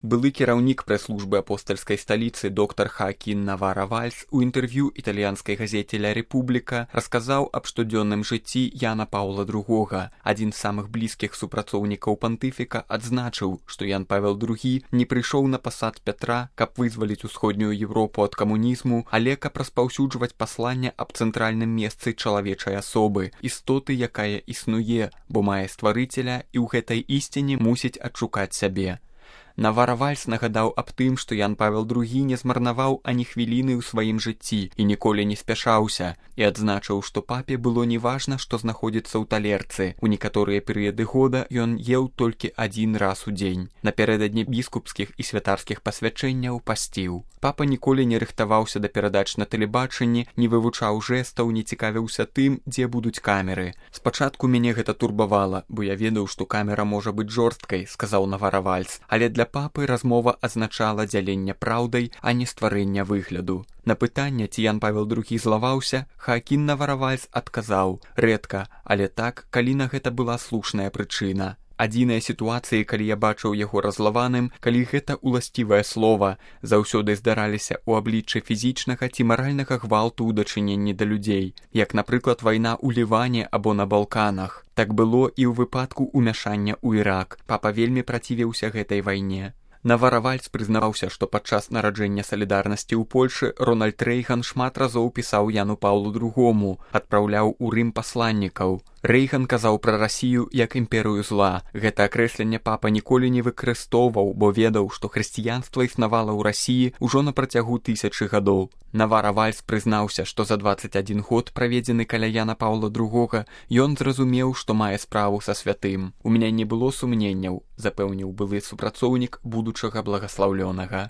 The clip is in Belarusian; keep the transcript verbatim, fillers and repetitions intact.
Былы кіраўнік прэс-службы апостальскай сталіцы доктар Хаакін Навара-Вальс у інтэрв'ю італьянскай газеце «Ля Рэпубліка» расказаў аб штодзённым жыцці Яна Паўла другога. Адзін з самых блізкіх супрацоўнікаў пантыфіка адзначыў, што Ян Павел другі не прыйшоў на пасад Пятра, каб вызваліць усходнюю Европу ад камунізму, але каб распаўсюджваць пасланне аб цэнтральным месцы чалавечай асобы, істоты, якая існуе, бо мае стварыцеля і ў гэтай ісціне мусіць адшукаць сябе. Навара-Вальс нагадаў аб тым, што Ян Павел другі не змарнаваў ані хвіліны ў сваім жыцці і ніколі не спяшаўся, і адзначыў, што папе было неважна, што знаходзіцца ў талерцы. У некаторыя перыяды года ён еў толькі адзін раз у дзень. Напярэдадні біскупскіх і святарскіх пасвячэнняў пасціў. Папа ніколі не рыхтаваўся да перадач на тэлебачанні, не вывучаў жэстаў, не цікавіўся тым, дзе будуць камеры. Спачатку мяне гэта турбавала, бо я ведаў, што камера можа быць жорсткай, сказаў Навара-Вальс, але для папы размова азначала дзяленне праўдай, а не стварэння выгляду. На пытанне, ці Ян Павел другі злаваўся, Хаакін Навара-Вальс адказаў: «Рэдка, але так, калі на гэта была слушная прычына». Адзіныя сітуацыі, калі я бачыў яго разлаваным, калі гэта уласцівае слова, заўсёды здараліся ў абліччы фізічнага ці маральнага гвалту ў дачыненні да людзей, як, напрыклад, вайна ў Ліване або на Балканах. Так было і ў выпадку ўмяшання ў Ірак. Папа вельмі працівіўся гэтай вайне. Навара-Вальс прызнаваўся, што падчас нараджэння салідарнасці ў Польшы Рональд Рэйган шмат разоў пісаў Яну Паўлу другому, адпраўляў у Рым пасланнікаў. Рэйган казаў пра Расію як імперыю зла. Гэта акрэсленне папа ніколі не выкарыстоўваў, бо ведаў, што хрысціянства існавала ў Расіі ўжо на працягу тысячы гадоў. Навара-Вальс прызнаўся, што за дваццаць адзін год, праведзены каля Яна Паўла другога, ён зразумеў, што мае справу са святым. У мяне не было сумненняў, запэўніў былы супрацоўнік будучага благаслаўлёнага.